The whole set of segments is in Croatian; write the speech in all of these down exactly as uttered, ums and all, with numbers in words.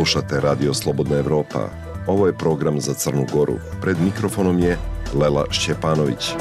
Slušate Radio Slobodna Evropa. Ovo je program za Crnu Goru. Pred mikrofonom je Lela Šćepanović.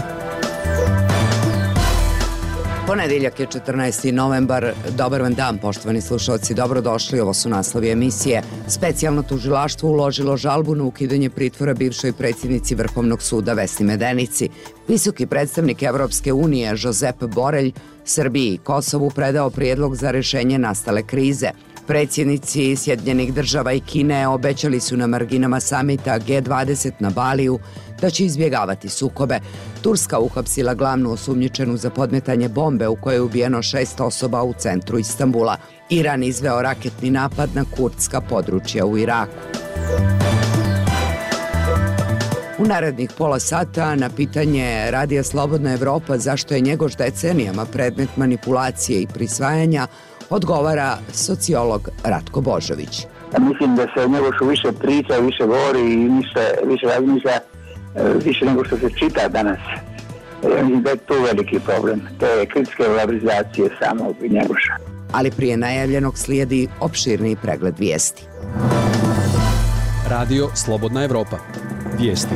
Ponedeljak je četrnaesti novembar. Dobar vam dan, poštovani slušalci, dobrodošli. Ovo su naslovi emisije. Specijalno tužilaštvo uložilo žalbu na ukidanje pritvora bivšoj predsjednici Vrhovnog suda Vesni Medenici. Visoki predstavnik Evropske unije Josep Borelj Srbiji i Kosovu predao prijedlog za rješenje nastale krize. Predsjednici Sjedinjenih država i Kine obećali su na marginama samita G dvadeset na Baliju da će izbjegavati sukobe. Turska uhapsila glavnu osumnjičenu za podmetanje bombe u kojoj je ubijeno šest osoba u centru Istanbula. Iran izveo raketni napad na kurdska područja u Iraku. U narednih pola sata na pitanje Radija Slobodna Evropa zašto je Njegoš decenijama predmet manipulacije i prisvajanja odgovara sociolog Ratko Božović. Mislim da se o Njegošu više priča, više govori i više, više razmišlja, više nego što se čita danas. Mislim da je to veliki problem. To je kritiske valorizacije samog Njegoša. Ali prije najavljenog slijedi opširni pregled vijesti. Radio Slobodna Evropa. Vijesti.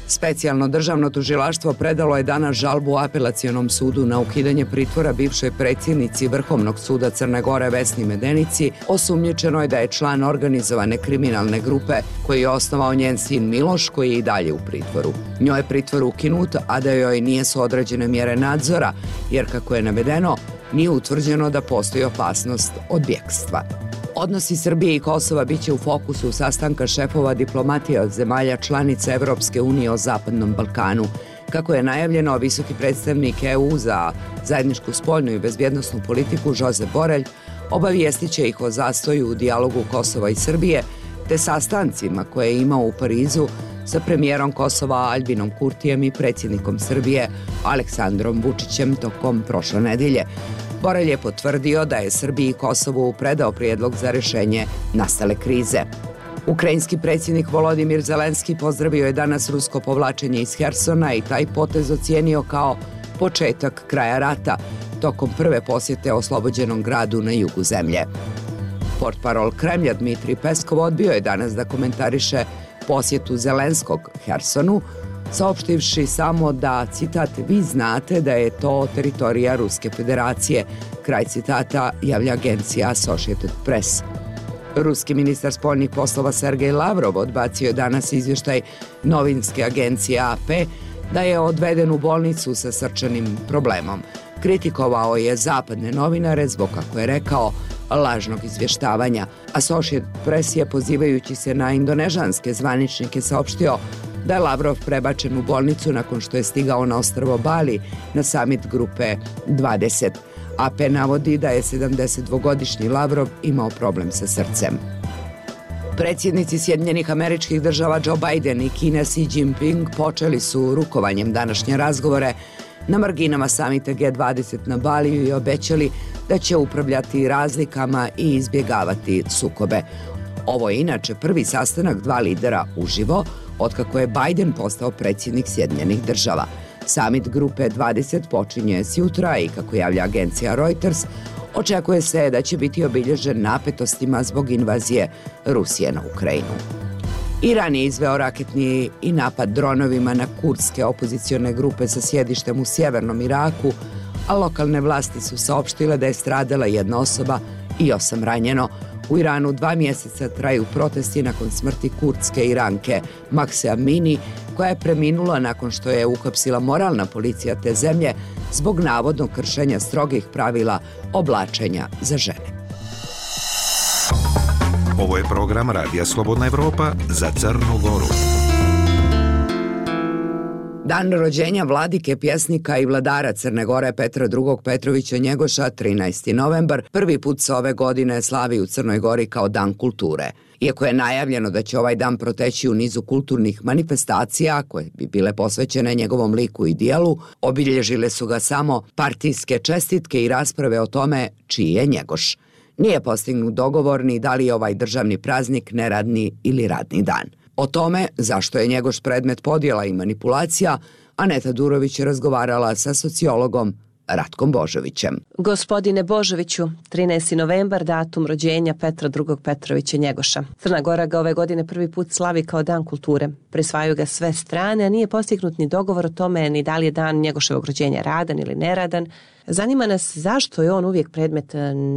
Specijalno državno tužilaštvo predalo je danas žalbu Apelacionom sudu na ukidanje pritvora bivšoj predsjednici Vrhovnog suda Crne Gore Vesni Medenici. Osumnjičeno je da je član organizovane kriminalne grupe koji je osnovao njen sin Miloš, koji je i dalje u pritvoru. Njoj je pritvor ukinut, a da joj nijesu određene mjere nadzora, jer kako je navedeno, nije utvrđeno da postoji opasnost od bjekstva. Odnosi Srbije i Kosova bit će u fokusu sastanka šefova diplomatije od zemalja članica Evropske unije o Zapadnom Balkanu. Kako je najavljeno, visoki predstavnik E U za zajedničku spoljnu i bezbjednosnu politiku Josep Borelj obavijestit će ih o zastoju u dijalogu Kosova i Srbije te sastancima koje je imao u Parizu sa premijerom Kosova Albinom Kurtijem i predsjednikom Srbije Aleksandrom Vučićem tokom prošle nedelje. Borelj je potvrdio da je Srbiji i Kosovu predao prijedlog za rješenje nastale krize. Ukrajinski predsjednik Volodimir Zelenski pozdravio je danas rusko povlačenje iz Hersona i taj potez ocijenio kao početak kraja rata tokom prve posjete oslobođenom gradu na jugu zemlje. Portparol Kremlja Dmitrij Peskov odbio je danas da komentariše posjetu Zelenskog Hersonu, saopštivši samo da, citat, vi znate da je to teritorija Ruske federacije, kraj citata, javlja agencija Associated Press. Ruski ministar spoljnih poslova Sergej Lavrov odbacio je danas izvještaj novinske agencije A P da je odveden u bolnicu sa srčanim problemom. Kritikovao je zapadne novinare zbog, kako je rekao, lažnog izvještavanja. Associated Press je, pozivajući se na indonežanske zvaničnike, saopštio da je Lavrov prebačen u bolnicu nakon što je stigao na ostrvo Bali na samit grupe dvadeset. A P navodi da je sedamdesetdvogodišnji Lavrov imao problem sa srcem. Predsjednici Sjedinjenih Američkih Država Joe Biden i Kine Xi Jinping počeli su rukovanjem današnje razgovore na marginama samita G dvadeset na Baliju i obećali da će upravljati razlikama i izbjegavati sukobe. Ovo je inače prvi sastanak dva lidera uživo otkako je Biden postao predsjednik Sjedinjenih Država. Samit grupe dvadeset počinje sjutra i, kako javlja agencija Reuters, očekuje se da će biti obilježen napetostima zbog invazije Rusije na Ukrajinu. Iran je izveo raketni i napad dronovima na kurdske opozicione grupe sa sjedištem u sjevernom Iraku, a lokalne vlasti su saopštile da je stradala jedna osoba i osam ranjeno. U Iranu dva mjeseca traju protesti nakon smrti kurdske Iranke Mahse Amini, koja je preminula nakon što je uhapsila moralna policija te zemlje zbog navodnog kršenja strogih pravila oblačenja za žene. Ovo je program Radija Slobodna Evropa za Crnu Goru. Dan rođenja vladike, pjesnika i vladara Crne Gore Petra drugog Petrovića Njegoša, trinaesti novembar, prvi put se ove godine slavi u Crnoj Gori kao Dan kulture. Iako je najavljeno da će ovaj dan proteći u nizu kulturnih manifestacija koje bi bile posvećene njegovom liku i dijelu, obilježile su ga samo partijske čestitke i rasprave o tome čiji je Njegoš. Nije postignut dogovor ni da li je ovaj državni praznik neradni ili radni dan. O tome zašto je Njegoš predmet podjela i manipulacija, Aneta Durović je razgovarala sa sociologom Ratkom Božovićem. Gospodine Božoviću, trinaesti novembar, datum rođenja Petra drugog Petrovića Njegoša. Crna Gora ga ove godine prvi put slavi kao dan kulture. Prisvajaju ga sve strane, a nije postignut ni dogovor o tome ni da li je dan Njegoševog rođenja radan ili neradan. Zanima nas zašto je on uvijek predmet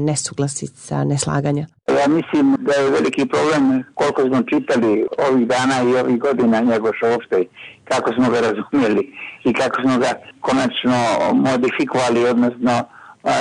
nesuglasica, neslaganja. Ja mislim da je veliki problem koliko smo čitali ovih dana i ovih godina Njegoša uopšte, kako smo ga razumjeli i kako smo ga konačno modifikovali, odnosno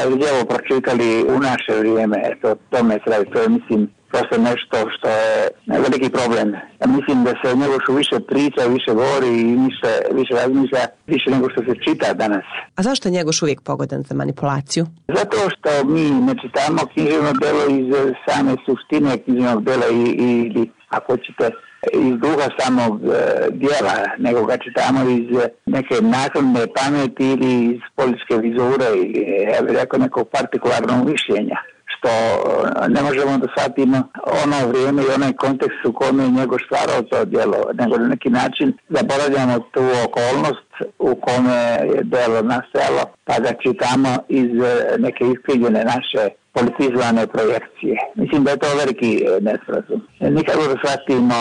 lijevo pročitali u naše vrijeme. Eto, to me sredi, to je mislim prosto nešto što je veliki problem. Ja mislim da se o Njegošu više priča, više govori i više, više razmišlja, više nego što se čita danas. A zašto je Njegoš uvijek pogodan za manipulaciju? Zato što mi ne čitamo književno delo iz same suštine književnog dela i, i ako ćete iz duha samog e, dijela, nego ga čitamo iz neke naknadne pameti ili iz političke vizure ili, ja bih rekao, nekog partikularnog mišljenja, što ne možemo da shvatimo ono vrijeme i onaj kontekst u kome je njegov stvarao to djelo, nego na neki način zaboravljamo tu okolnost u kome je djelo nastajalo, pa ga čitamo iz neke iskrivljene naše politizovane projekcije. Mislim da je to veliki nesporazum. Nikako da shvatimo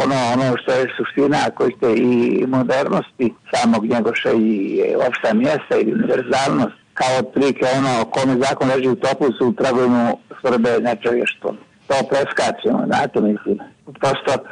ono, ono što je suština, koji ste i modernosti samog Njegoša i opšta mjesta i univerzalnost, kao otprilike ono kome zakon leži u topusu, traguju mu svrbe nečovještvom. To preskačemo, znate, mislim. Prosto e,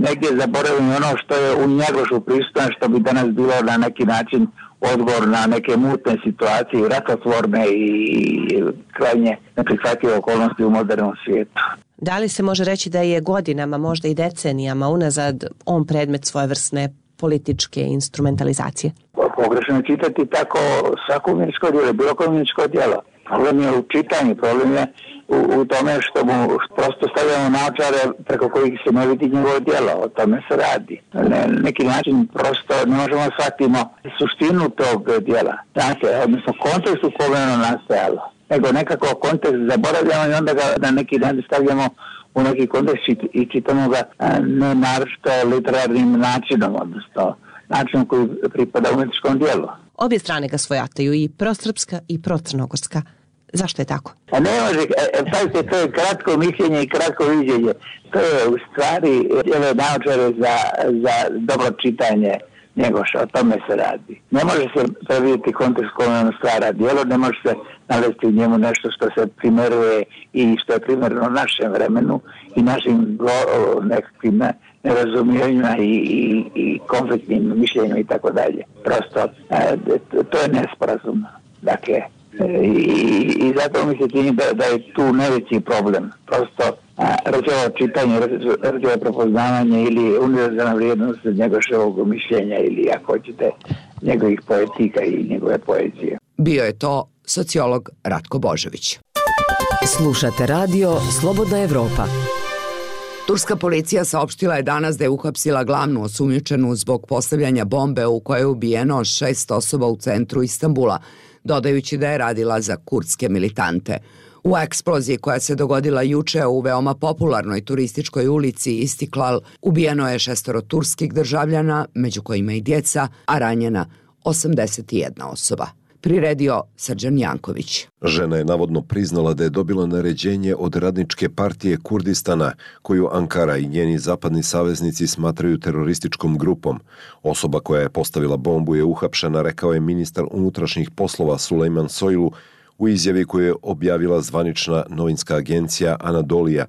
negdje zaboravimo ono što je u Njegošu prisutno, što bi danas bilo na neki način odgovor na neke mutne situacije, rakotvorne i krajnje neprihvatljive okolnosti u modernom svijetu. Da li se može reći da je godinama, možda i decenijama unazad on predmet svojevrsne političke instrumentalizacije? Pogrešno je čitati tako svako umjetničko djelo, bilo koje umjetničko djelo. Problem je u čitanju, problem je u, u tome što mu prosto stavljamo naočare preko kojih se ne vidi njegovo djelo. O tome se radi. Na neki način prosto ne možemo shvatimo suštinu tog djela. Znate, odnosno kontekst u kojem ono nastajalo. Nego nekako kontekst zaboravljamo i onda ga na neki način stavljamo u neki kontekst i čitamo ga ne naročito literarnim načinom, odnosno načinom koji pripada umjetničkom dijelu. Obje strane ga svojataju, i prosrpska i procrnogorska. Zašto je tako? A ne može, pazite, to je kratko mišljenje i kratko viđenje. To je u stvari djelo naočare za, za dobro čitanje Njegoša, o tome se radi. Ne može se predvidjeti kontekst kome on stvara djelo, ne može se navesti u njemu nešto što se primeruje i što je primjerno našem vremenu i našim go, nekakvim nerazumijenjima i, i, i konfliktnim mišljenjima i tako dalje. Prosto, e, to je nesporazum. Dakle, e, i, i zato mi se čini da, da je tu najveći problem. Prosto, rađevo čitanje, rađevo prepoznavanje ili univerzalna vrijednost Njegoševog mišljenja ili, ako hoćete, njegovih poetika i njegove poezije. Bio je to sociolog Ratko Božović. Slušate radio Slobodna Evropa. Turska policija saopštila je danas da je uhapsila glavnu osumnjičenu zbog postavljanja bombe u kojoj je ubijeno šest osoba u centru Istanbula, dodajući da je radila za kurdske militante. U eksploziji koja se dogodila juče u veoma popularnoj turističkoj ulici Istiklal ubijeno je šestoro turskih državljana, među kojima i djeca, a ranjena osamdeset jedna osoba. Priredio Srđan Janković. Žena je navodno priznala da je dobila naređenje od Radničke partije Kurdistana, koju Ankara i njeni zapadni saveznici smatraju terorističkom grupom. Osoba koja je postavila bombu je uhapšena, rekao je ministar unutrašnjih poslova Sulejman Soylu u izjavi koju je objavila zvanična novinska agencija Anadolija.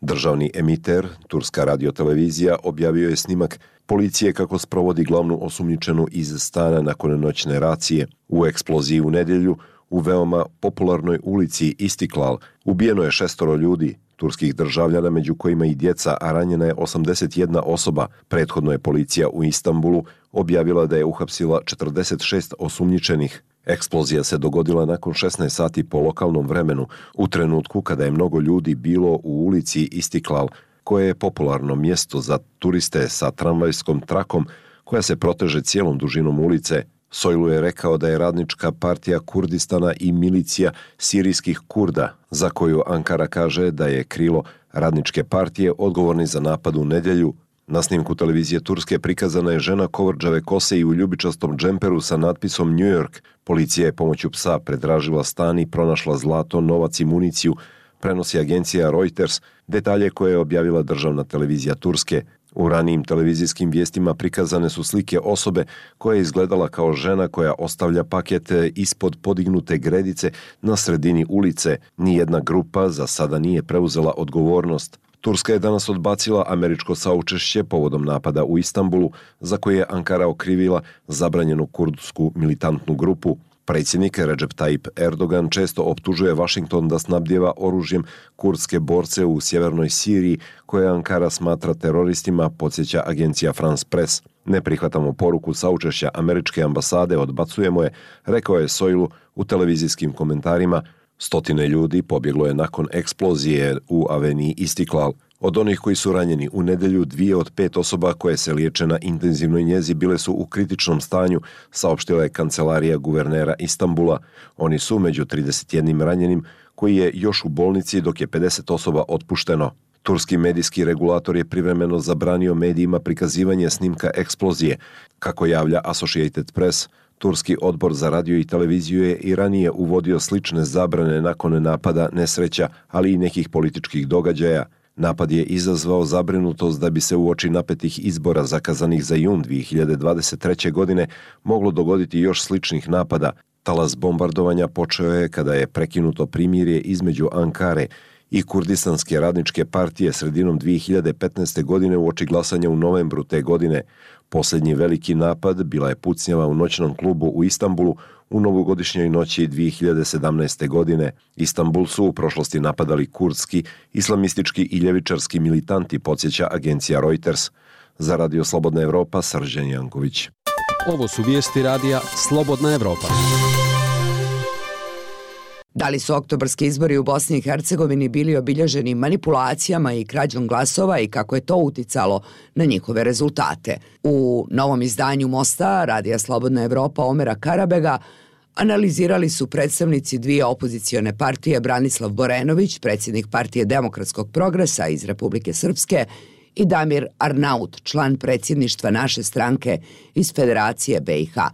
Državni emiter, Turska radiotelevizija, objavio je snimak policije kako sprovodi glavnu osumnjičenu iz stana nakon noćne racije. U eksploziji u nedjelju u veoma popularnoj ulici Istiklal ubijeno je šestoro ljudi, turskih državljana, među kojima i djeca, a ranjena je osamdeset jedna osoba. Prethodno je policija u Istanbulu objavila da je uhapsila četrdeset šest osumnjičenih. Eksplozija se dogodila nakon šesnaest sati po lokalnom vremenu, u trenutku kada je mnogo ljudi bilo u ulici Istiklal, koje je popularno mjesto za turiste sa tramvajskom trakom koja se proteže cijelom dužinom ulice. Soylu je rekao da je Radnička partija Kurdistana i milicija sirijskih Kurda, za koju Ankara kaže da je krilo Radničke partije odgovorni za napad u nedjelju Na snimku televizije Turske prikazana je žena kovrđave kose i u ljubičastom džemperu sa natpisom New York. Policija je pomoću psa pretražila stan i pronašla zlato, novac i municiju, prenosi agencija Reuters, detalje koje je objavila državna televizija Turske. U ranijim televizijskim vijestima prikazane su slike osobe koja je izgledala kao žena koja ostavlja pakete ispod podignute gredice na sredini ulice. Nijedna grupa za sada nije preuzela odgovornost. Turska je danas odbacila američko saučešće povodom napada u Istanbulu, za koje je Ankara okrivila zabranjenu kurdsku militantnu grupu. Predsjednik Recep Tayyip Erdogan često optužuje Washington da snabdijeva oružjem kurdske borce u sjevernoj Siriji, koje Ankara smatra teroristima, podsjeća agencija France Press. Ne prihvatamo poruku saučešća američke ambasade, odbacujemo je, rekao je Soilu u televizijskim komentarima. Stotine ljudi pobjeglo je nakon eksplozije u aveniji Istiklal. Od onih koji su ranjeni u nedjelju, dvije od pet osoba koje se liječe na intenzivnoj njezi bile su u kritičnom stanju, saopštila je kancelarija guvernera Istanbula. Oni su među trideset jednim ranjenim koji je još u bolnici, dok je pedeset osoba otpušteno. Turski medijski regulator je privremeno zabranio medijima prikazivanje snimka eksplozije. Kako javlja Associated Press, Turski odbor za radio i televiziju je i ranije uvodio slične zabrane nakon napada, nesreća, ali i nekih političkih događaja. Napad je izazvao zabrinutost da bi se uoči napetih izbora zakazanih za jun dvije hiljade dvadeset treće. godine moglo dogoditi još sličnih napada. Talas bombardovanja počeo je kada je prekinuto primirje između Ankare i Kurdistanske radničke partije sredinom dvije hiljade petnaeste. godine uoči glasanja u novembru te godine. Posljednji veliki napad bila je pucnjava u noćnom klubu u Istanbulu u novogodišnjoj noći dvije hiljade sedamnaeste. godine. Istanbul su u prošlosti napadali kurdski, islamistički i ljevičarski militanti, podsjeća agencija Reuters. Za Radio Slobodna Evropa, Srđan Janković. Ovo su vijesti radija Slobodna Evropa. Da li su oktobarski izbori u Bosni i Hercegovini bili obilježeni manipulacijama i krađom glasova i kako je to uticalo na njihove rezultate? U novom izdanju Mosta, Radija Slobodna Evropa Omera Karabega, analizirali su predstavnici dvije opozicione partije Branislav Borenović, predsjednik Partije demokratskog progresa iz Republike Srpske, i Damir Arnaut, član predsjedništva naše stranke iz Federacije be i ha.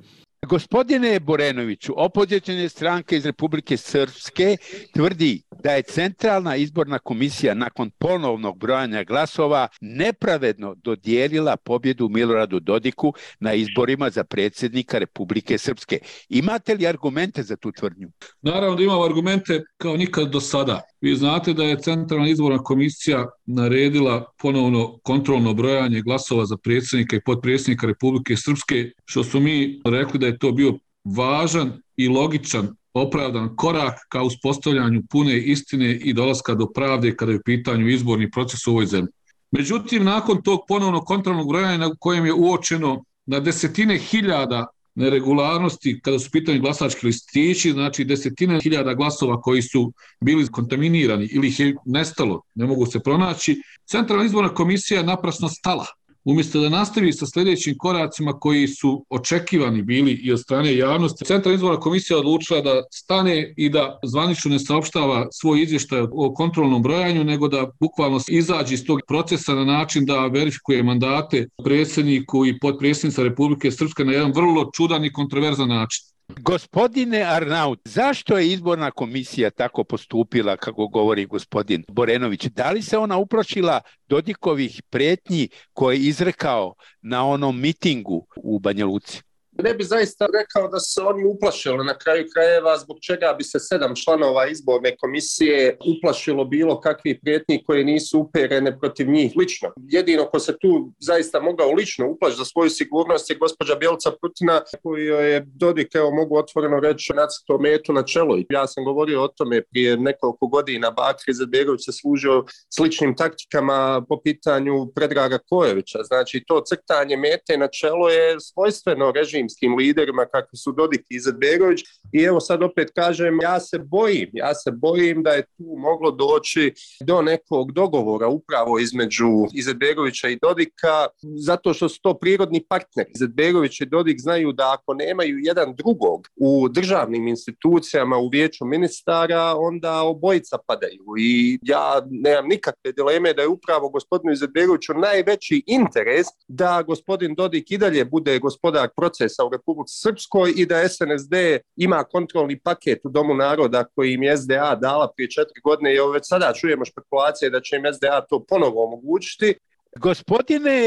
Gospodine Borenoviću, opozicione stranke iz Republike Srpske tvrdi da je Centralna izborna komisija nakon ponovnog brojanja glasova nepravedno dodijelila pobjedu Miloradu Dodiku na izborima za predsjednika Republike Srpske. Imate li argumente za tu tvrdnju? Naravno da imamo argumente kao nikad do sada. Vi znate da je Centralna izborna komisija naredila ponovno kontrolno brojanje glasova za predsjednika i potpredsjednika Republike Srpske, što su mi rekli da je to bio važan i logičan, opravdan korak ka uspostavljanju pune istine i dolaska do pravde kada je u pitanju izborni proces u ovoj zemlji. Međutim, nakon tog ponovno kontrolnog brojanja na kojem je uočeno na desetine hiljada neregularnosti kada su pitanje glasački listići, znači desetine hiljada glasova koji su bili kontaminirani ili ih je nestalo, ne mogu se pronaći, Centralna izborna komisija je naprasno stala. Umjesto da nastavi sa sljedećim koracima koji su očekivani bili i od strane javnosti, Centralna izborna komisija odlučila da stane i da zvanično ne saopštava svoj izvještaj o kontrolnom brojanju, nego da bukvalno izađe iz tog procesa na način da verifikuje mandate predsjedniku i potpredsjednica Republike Srpske na jedan vrlo čudan i kontroverzan način. Gospodine Arnaut, zašto je izborna komisija tako postupila, kako govori gospodin Borenović? Da li se ona uplašila Dodikovih prijetnji koje je izrekao na onom mitingu u Banja Luci? Ne bi zaista rekao da se oni uplašili na kraju krajeva, zbog čega bi se sedam članova izborne komisije uplašilo bilo kakvih prijetnji koje nisu uperene protiv njih lično. Jedino ko se tu zaista mogao lično uplašiti za svoju sigurnost je gospođa Bjelica Prutina, koju je Dodik, evo mogu otvoreno reći, nacrtao metu na čelo. Ja sam govorio o tome prije nekoliko godina. Bakir Izetbegović se služio sličnim taktikama po pitanju Predraga Kojovića. Znači to crtanje mete na čelo je svojstveno režim režimskim liderima kakvi su Dodik i Izetbegović. I evo sad opet kažem, ja se bojim, ja se bojim da je tu moglo doći do nekog dogovora upravo između Izetbegovića i Dodika, zato što su to prirodni partneri. Izetbegović i Dodik znaju da ako nemaju jedan drugog u državnim institucijama, u vijeću ministara, onda obojica padaju. I ja nemam nikakve dileme da je upravo gospodinu Izetbegoviću najveći interes da gospodin Dodik i dalje bude gospodar procesa u Republici Srpskoj i da S N S D ima kontrolni paket u Domu naroda koji im je S D A dala prije četiri godine i već sada čujemo špekulacije da će im S D A to ponovo omogućiti. Gospodine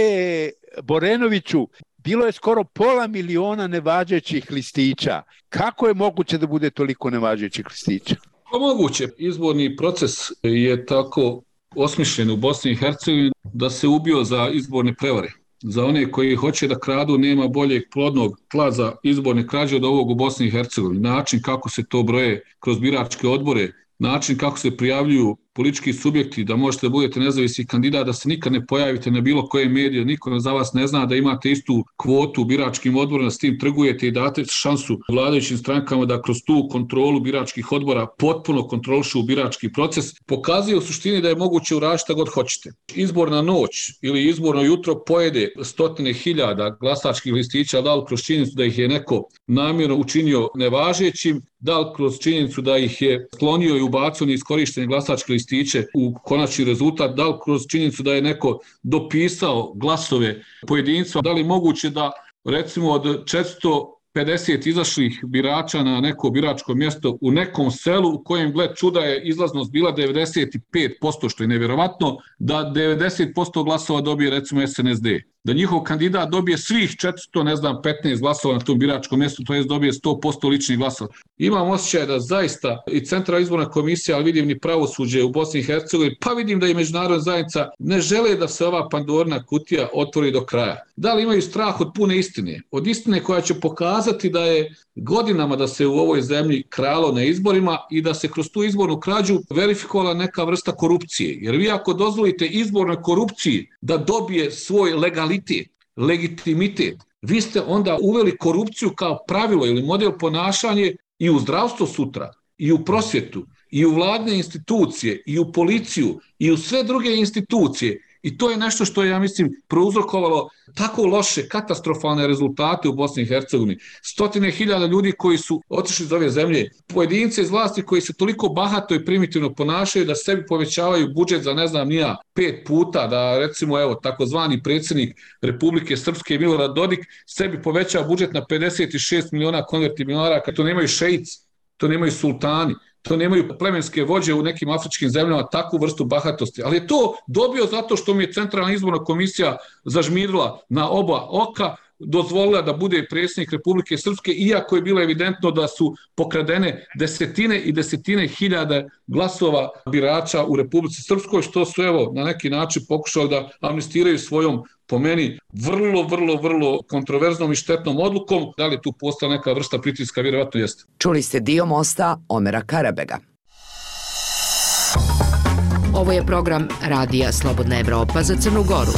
Borenoviću, bilo je skoro pola miliona nevažećih listića. Kako je moguće da bude toliko nevažećih listića? Pa moguće. Izborni proces je tako osmišljen u Bosni i Hercegovini da se ubio za izborne prevare. Za one koji hoće da kradu nema boljeg plodnog tla za izborne krađe od ovog u Bosni i Hercegovini. Način kako se to broje kroz biračke odbore, način kako se prijavljuju politički subjekti, da možete da budete nezavisni kandidat, da se nikad ne pojavite na bilo koje medije, niko za vas ne zna, da imate istu kvotu u biračkim odborima, da s tim trgujete i date šansu vladajućim strankama da kroz tu kontrolu biračkih odbora potpuno kontrolišu birački proces, pokazuje u suštini da je moguće uraditi šta god hoćete. Izborna noć ili izborno jutro pojede stotine hiljada glasačkih listića, da li kroz činjenicu da ih je neko namjerno učinio nevažećim, da li kroz činjenicu da ih je sklonio i ubacio neiskorištene glasačke listiće u konačni rezultat, da li kroz činjenicu da je neko dopisao glasove pojedinca, da li moguće da recimo od četiristo pedeset izašlih birača na neko biračko mjesto u nekom selu u kojem, gled čuda, je izlaznost bila devedeset pet posto, što je nevjerovatno, da devedeset posto glasova dobije recimo S N S D. Da njihov kandidat dobije svih četiristo, ne znam, petnaest glasova na tom biračkom mjestu, to jest dobije sto posto ličnih glasova. Imam osjećaj da zaista i Centralna izborna komisija, ali vidim ni pravosuđe u Bosni i Hercegovini, pa vidim da i međunarodna zajednica ne žele da se ova Pandorina kutija otvori do kraja. Da li imaju strah od pune istine? Od istine koja će pokazati da je godinama da se u ovoj zemlji kralo na izborima i da se kroz tu izbornu krađu verifikovala neka vrsta korupcije. Jer vi ako dozvolite izbornoj korupciji da dobije svoj legalitet, legitimitet, vi ste onda uveli korupciju kao pravilo ili model ponašanja i u zdravstvo sutra, i u prosvjetu, i u vladne institucije, i u policiju, i u sve druge institucije. I to je nešto što je, ja mislim, prouzrokovalo tako loše, katastrofalne rezultate u Bosni i Hercegovini. Stotine hiljada ljudi koji su otišli iz ove zemlje, pojedince iz vlasti koji se toliko bahato i primitivno ponašaju da sebi povećavaju budžet za ne znam nija pet puta, da recimo evo takozvani predsjednik Republike Srpske Milorad Dodik sebi povećava budžet na pedeset šest miliona konvertibilnih maraka, to nemaju šeici, to nemaju sultani. To nemaju plemenske vođe u nekim afričkim zemljama takvu vrstu bahatosti. Ali je to dobio zato što mi je Centralna izborna komisija zažmirila na oba oka, dozvolila da bude predsjednik Republike Srpske, iako je bilo evidentno da su pokradene desetine i desetine hiljada glasova birača u Republici Srpskoj, što su evo na neki način pokušali da amnestiraju svojom, po meni, vrlo, vrlo, vrlo kontroverznom i štetnom odlukom. Da li tu postala neka vrsta pritiska? Vjerovatno jeste. Čuli ste dio mosta Omera Karabega. Ovo je program Radija Slobodna Evropa za Crnu Goru.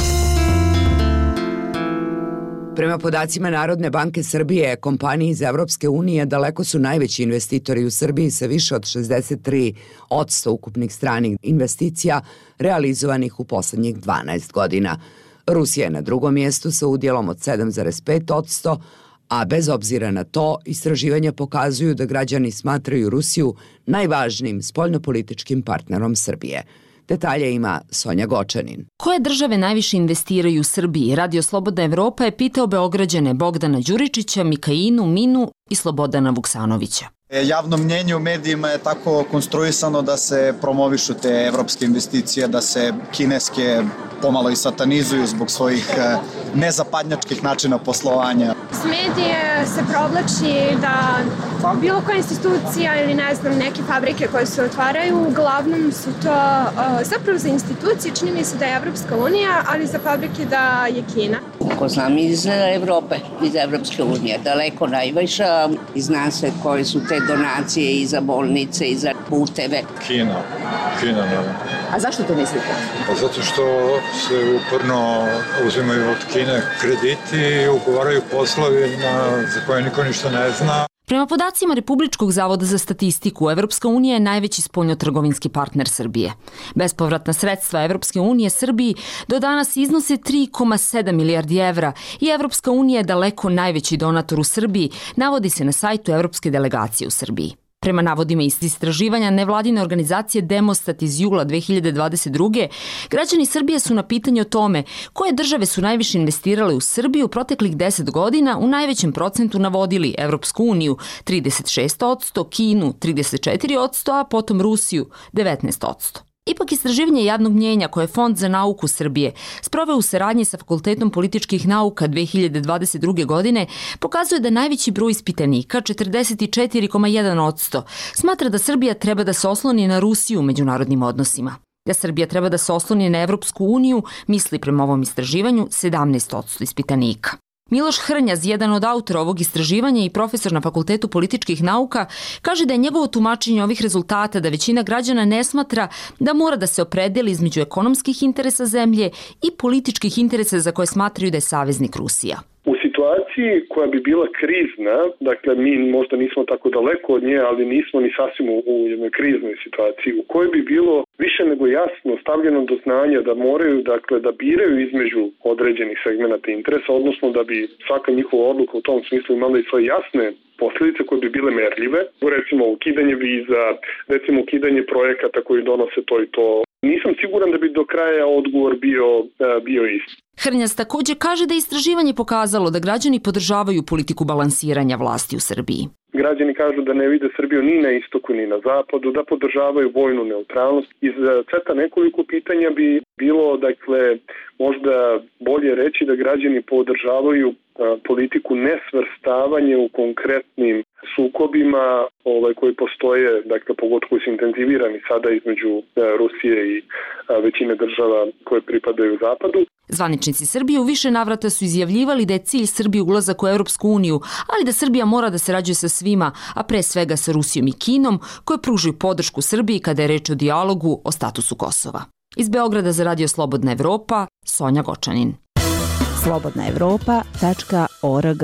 Prema podacima Narodne banke Srbije, kompanije iz Evropske unije daleko su najveći investitori u Srbiji sa više od šezdeset tri posto ukupnih stranih investicija realizovanih u poslednjih dvanaest godina. Rusija je na drugom mjestu sa udjelom od sedam zarez pet posto, a bez obzira na to, istraživanja pokazuju da građani smatraju Rusiju najvažnijim spoljnopolitičkim partnerom Srbije. Detalje ima Sonja Gočanin. Koje države najviše investiraju u Srbiji? Radio Slobodna Evropa je pitao Beograđane Bogdana Đuričića, Mikainu, Minu i Slobodana Vuksanovića. Javno mnjenje u medijima je tako konstruisano da se promovišu te evropske investicije, da se kineske pomalo i satanizuju zbog svojih nezapadnjačkih načina poslovanja. S medije se provlači da bilo koja institucija ili ne znam neke fabrike koje se otvaraju, uglavnom su to zapravo za institucije, čini mi se da je Evropska unija, ali za fabrike da je Kina. Ko znam iz Evrope, iz Evropske unije, daleko najviša i zna se koje su te donacije i za bolnice i za puteve. Kina. Kina, naravno. A zašto to mislite? Zato što se uporno uzimaju od Kine krediti i ugovaraju poslovi na, za koje niko ništa ne zna. Prema podacima Republičkog zavoda za statistiku, Evropska unija je najveći spoljnotrgovinski partner Srbije. Bespovratna sredstva Evropske unije Srbiji do danas iznose tri zarez sedam milijardi evra i Evropska unija je daleko najveći donator u Srbiji, navodi se na sajtu Evropske delegacije u Srbiji. Prema navodima iz istraživanja nevladine organizacije Demostat iz jula dve hiljade dvadeset druge. građani Srbije su na pitanje o tome koje države su najviše investirale u Srbiju proteklih deset godina u najvećem procentu navodili Evropsku uniju trideset šest posto, Kinu trideset četiri posto, a potom Rusiju devetnaest posto. Ipak istraživanje javnog mnjenja koje je Fond za nauku Srbije sproveo u saradnji sa Fakultetom političkih nauka dve hiljade dvadeset druge. godine pokazuje da najveći broj ispitanika, četrdeset četiri zarez jedan posto, smatra da Srbija treba da se osloni na Rusiju u međunarodnim odnosima. Da Srbija treba da se osloni na Evropsku uniju, misli prema ovom istraživanju sedamnaest posto ispitanika. Miloš Hrnjaz, jedan od autora ovog istraživanja i profesor na Fakultetu političkih nauka, kaže da je njegovo tumačenje ovih rezultata da većina građana ne smatra da mora da se opredeli između ekonomskih interesa zemlje i političkih interesa za koje smatraju da je saveznik Rusija. U situaciji koja bi bila krizna, dakle mi možda nismo tako daleko od nje, ali nismo ni sasvim u, u jednoj kriznoj situaciji, u kojoj bi bilo više nego jasno stavljeno do znanja da moraju, dakle, da biraju između određenih segmenata interesa, odnosno da bi svaka njihova odluka u tom smislu imala i svoje jasne posljedice koje bi bile merljive, recimo ukidanje viza, recimo ukidanje projekata koji donose to i to. Nisam siguran da bi do kraja odgovor bio, bio isti. Hrnjas također kaže da je istraživanje pokazalo da građani podržavaju politiku balansiranja vlasti u Srbiji. Građani kažu da ne vide Srbiju ni na istoku ni na zapadu, da podržavaju vojnu neutralnost. Iz seta nekoliko pitanja bi bilo, dakle, možda bolje reći da građani podržavaju politiku nesvrstavanja u konkretnim sukobima ovaj, koji postoje, dakle, pogotovo koji su intenzivirani sada između Rusije i većine država koje pripadaju zapadu. Zvaničnici Srbije u više navrata su izjavljivali da je cilj Srbije ulazak u Evropsku uniju, ali da Srbija mora da sarađuje sa svima, a pre svega sa Rusijom i Kinom, koje pružaju podršku Srbiji kada je reč o dijalogu o statusu Kosova. Iz Beograda za Radio Slobodna Evropa, Sonja Gočanin. slobodna evropa tačka org.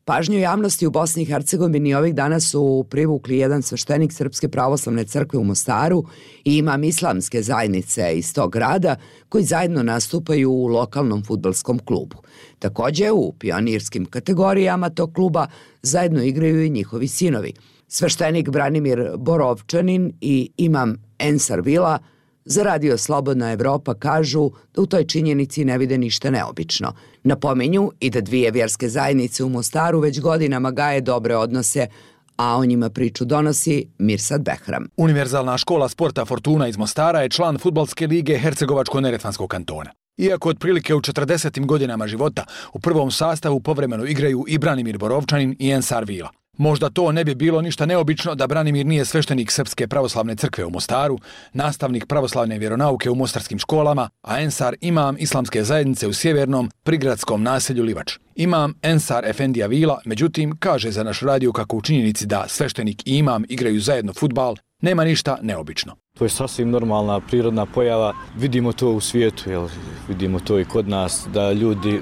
Pažnju javnosti u Bosni i Hercegovini ovih dana su privukli jedan sveštenik Srpske pravoslavne crkve u Mostaru i imam islamske zajednice iz tog grada koji zajedno nastupaju u lokalnom fudbalskom klubu. Također u pionirskim kategorijama tog kluba zajedno igraju i njihovi sinovi. Sveštenik Branimir Borovčanin i imam Ensar Vila za Radio Slobodna Evropa kažu da u toj činjenici ne vide ništa neobično. Napominju i da dvije vjerske zajednice u Mostaru već godinama gaje dobre odnose, a o njima priču donosi Mirsad Behram. Univerzalna škola sporta Fortuna iz Mostara je član fudbalske lige Hercegovačko-Neretvanskog kantona. Iako otprilike u četrdesetim godinama života u prvom sastavu povremeno igraju i Branimir Borovčanin i Ensar Vila. Možda to ne bi bilo ništa neobično da Branimir nije sveštenik Srpske pravoslavne crkve u Mostaru, nastavnik pravoslavne vjeronauke u mostarskim školama, a Ensar imam islamske zajednice u sjevernom prigradskom naselju Livač. Imam Ensar Efendija Vila, međutim, kaže za naš radio kako u činjenici da sveštenik i imam igraju zajedno fudbal, nema ništa neobično. To je sasvim normalna, prirodna pojava. Vidimo to u svijetu, jel? Vidimo to i kod nas, da ljudi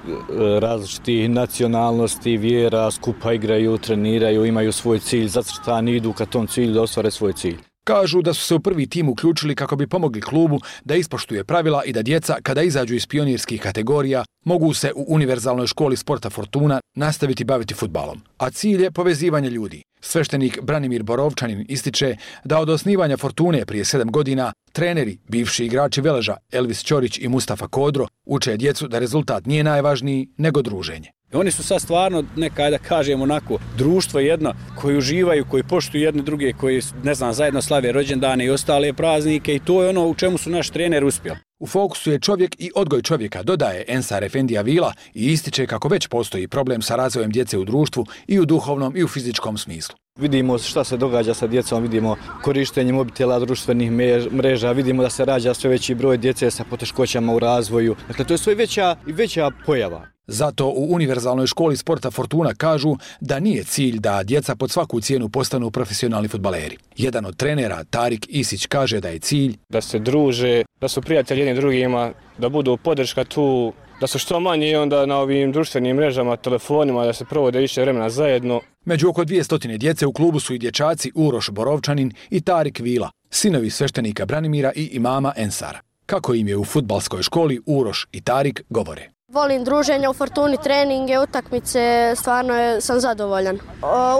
različitih nacionalnosti, vjera, skupa igraju, treniraju, imaju svoj cilj zacrtan i idu ka tom cilju da ostvare svoj cilj. Kažu da su se u prvi tim uključili kako bi pomogli klubu da ispoštuje pravila i da djeca, kada izađu iz pionirskih kategorija, mogu se u Univerzalnoj školi sporta Fortuna nastaviti baviti fudbalom. A cilj je povezivanje ljudi. Sveštenik Branimir Borovčanin ističe da od osnivanja Fortune prije sedam godina treneri, bivši igrači Veleža Elvis Ćorić i Mustafa Kodro uče djecu da rezultat nije najvažniji nego druženje. Oni su sad stvarno, neka da kažemo onako, društvo jedno koji uživaju, koji poštuju jedne druge, koji, ne znam, zajedno slave rođendane i ostale praznike i to je ono u čemu su naš trener uspjeli. U fokusu je čovjek i odgoj čovjeka, dodaje Ensar Efendija Vila i ističe kako već postoji problem sa razvojem djece u društvu i u duhovnom i u fizičkom smislu. Vidimo šta se događa sa djecom, vidimo korištenje mobitela, društvenih mreža, vidimo da se rađa sve veći broj djece sa poteškoćama u razvoju. Dakle, to je sve veća i veća pojava. Zato u Univerzalnoj školi sporta Fortuna kažu da nije cilj da djeca pod svaku cijenu postanu profesionalni fudbaleri. Jedan od trenera, Tarik Isić, kaže da je cilj da se druže, da su prijatelji jedni drugima, da budu podrška tu, da su što manje i onda na ovim društvenim mrežama, telefonima, da se provode više vremena zajedno. Među oko dvjesto djece u klubu su i dječaci Uroš Borovčanin i Tarik Vila, sinovi sveštenika Branimira i imama Ensara. Kako im je u fudbalskoj školi, Uroš i Tarik govore. Volim druženja u Fortuni, treninge, utakmice, stvarno sam zadovoljan.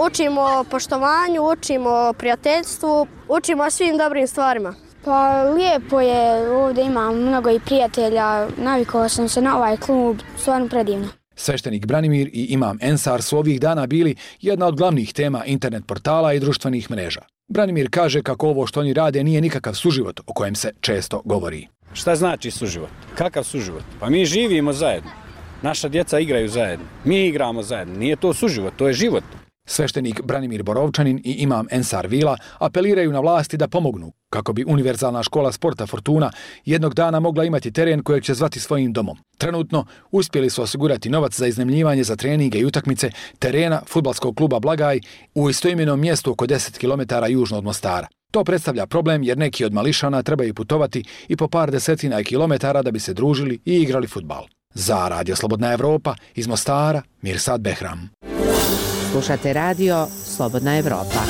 Učimo poštovanju, učimo prijateljstvu, učimo svim dobrim stvarima. Pa lijepo je, ovdje imam mnogo i prijatelja, navikao sam se na ovaj klub, stvarno predivno. Sveštenik Branimir i imam Ensar su ovih dana bili jedna od glavnih tema internet portala i društvenih mreža. Branimir kaže kako ovo što oni rade nije nikakav suživot o kojem se često govori. Šta znači suživot? Kakav suživot? Pa mi živimo zajedno. Naša djeca igraju zajedno. Mi igramo zajedno. Nije to suživot, to je život. Sveštenik Branimir Borovčanin i imam Ensar Vila apeliraju na vlasti da pomognu kako bi Univerzalna škola sporta Fortuna jednog dana mogla imati teren kojeg će zvati svojim domom. Trenutno uspjeli su osigurati novac za iznajmljivanje za treninge i utakmice terena fudbalskog kluba Blagaj u istoimenom mjestu oko deset kilometara južno od Mostara. To predstavlja problem jer neki od mališana trebaju putovati i po par desetina kilometara da bi se družili i igrali fudbal. Za Radio Slobodna Evropa iz Mostara, Mirsad Behram. Slušate radio Slobodna Evropa.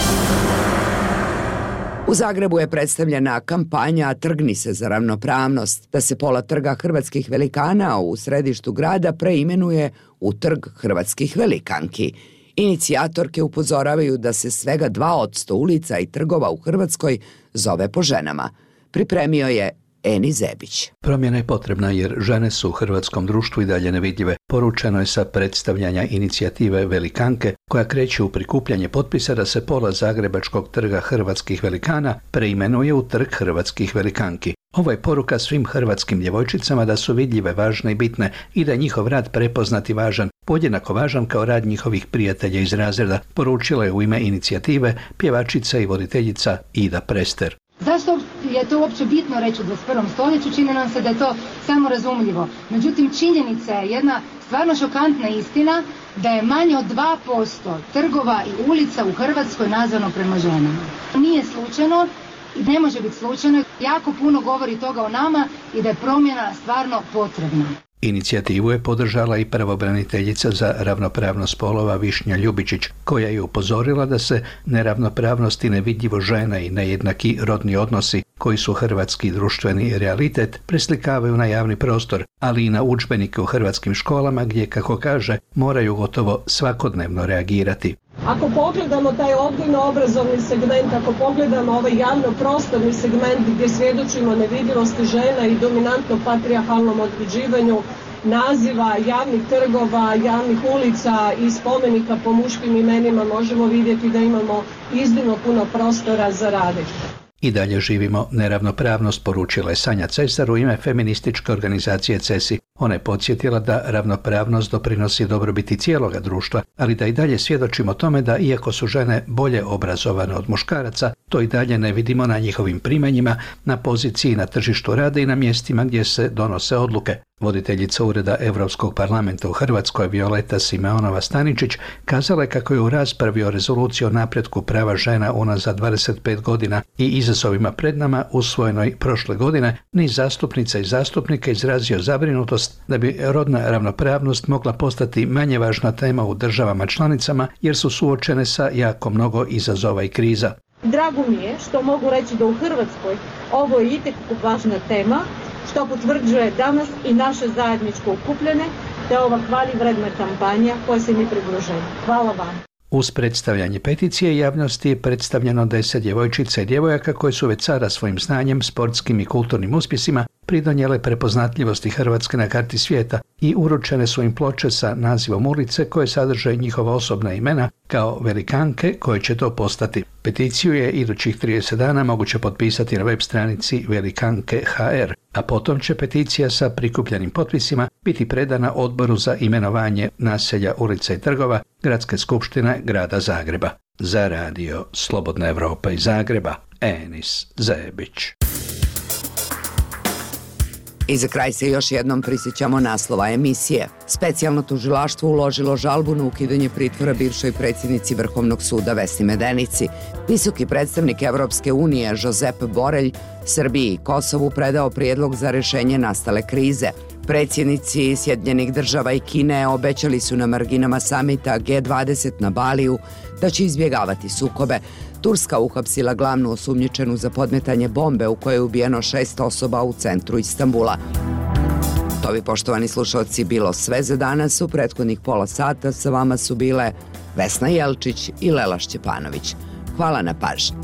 U Zagrebu je predstavljena kampanja Trgni se za ravnopravnost, da se pola trga hrvatskih velikana u središtu grada preimenuje u Trg hrvatskih velikanki. Inicijatorke upozoravaju da se svega dva posto ulica i trgova u Hrvatskoj zove po ženama. Pripremio je Eni Zebić. Promjena je potrebna jer žene su u hrvatskom društvu i dalje nevidljive. Poručeno je sa predstavljanja inicijative Velikanke koja kreće u prikupljanje potpisa da se pola zagrebačkog trga hrvatskih velikana preimenuje u Trg hrvatskih velikanki. Ovo je poruka svim hrvatskim djevojčicama da su vidljive, važne i bitne i da je njihov rad prepoznat i važan, podjednako važan kao rad njihovih prijatelja iz razreda, poručila je u ime inicijative pjevačica i voditeljica Ida Prester. Zašto je to uopće bitno reći u dvadeset prvom stoljeću? Čini nam se da je to samorazumljivo. Međutim, činjenica je jedna stvarno šokantna istina da je manje od dva posto trgova i ulica u Hrvatskoj nazvano prema ženama. Nije slučajno i ne može biti slučajno. Jako puno govori toga o nama i da je promjena stvarno potrebna. Inicijativu je podržala i pravobraniteljica za ravnopravnost spolova Višnja Ljubičić, koja je upozorila da se neravnopravnost i nevidljivo žena i nejednaki rodni odnosi, koji su hrvatski društveni realitet, preslikavaju na javni prostor, ali i na udžbenike u hrvatskim školama gdje, kako kaže, moraju gotovo svakodnevno reagirati. Ako pogledamo taj odgojno-obrazovni segment, ako pogledamo ovaj javno-prostorni segment gdje svjedočimo nevidljivosti žena i dominantno patrijarhalnom određivanju naziva javnih trgova, javnih ulica i spomenika po muškim imenima, možemo vidjeti da imamo iznimno puno prostora za rade. I dalje živimo neravnopravnost, poručila je Sanja Cesar u ime feminističke organizacije Cesi. Ona je podsjetila da ravnopravnost doprinosi dobrobiti cijeloga društva, ali da i dalje svjedočimo tome da iako su žene bolje obrazovane od muškaraca, to i dalje ne vidimo na njihovim primanjima, na poziciji na tržištu rada i na mjestima gdje se donose odluke. Voditeljica Ureda Europskog parlamenta u Hrvatskoj Violeta Simeonova Staničić kazala je kako je u raspravi o rezoluciji o napretku prava žena unazad dvadeset pet godina i izazovima pred nama usvojenoj prošle godine niz zastupnica i zastupnika izrazio zabrinutost da bi rodna ravnopravnost mogla postati manje važna tema u državama članicama jer su suočene sa jako mnogo izazova i kriza. Drago mi je što mogu reći da u Hrvatskoj ovo je itekako važna tema, što potvrđuje danas i naše zajedničko okupljene, te ova hvalivredna kampanja koja se mi pridružuje. Hvala vam. Uz predstavljanje peticije javnosti je predstavljeno deset djevojčica i djevojaka koje su već sada svojim znanjem, sportskim i kulturnim uspjesima pridonijele prepoznatljivosti Hrvatske na karti svijeta i uručene su im ploče sa nazivom ulice koje sadrže njihova osobna imena kao velikanke koje će to postati. Peticiju je idućih trideset dana moguće potpisati na web stranici Velikanke ha er, a potom će peticija sa prikupljenim potpisima biti predana Odboru za imenovanje naselja, ulica i trgova Gradske skupštine Grada Zagreba. Za radio Slobodna Evropa iz Zagreba, Enis Zebić. I za kraj se još jednom prisjećamo naslova emisije. Specijalno tužilaštvo uložilo žalbu na ukidanje pritvora bivšoj predsjednici Vrhovnog suda Vesni Medenici. Visoki predstavnik Evropske unije Josep Borelj Srbiji i Kosovu predao prijedlog za rešenje nastale krize. Predsjednici Sjedinjenih država i Kine obećali su na marginama samita G dvadeset na Baliju da će izbjegavati sukobe. Turska uhapsila glavnu osumnjičenu za podmetanje bombe u kojoj je ubijeno šest osoba u centru Istanbula. To bi, poštovani slušalci, bilo sve za danas. U prethodnih pola sata sa vama su bile Vesna Jelčić i Lela Šćepanović. Hvala na pažnji.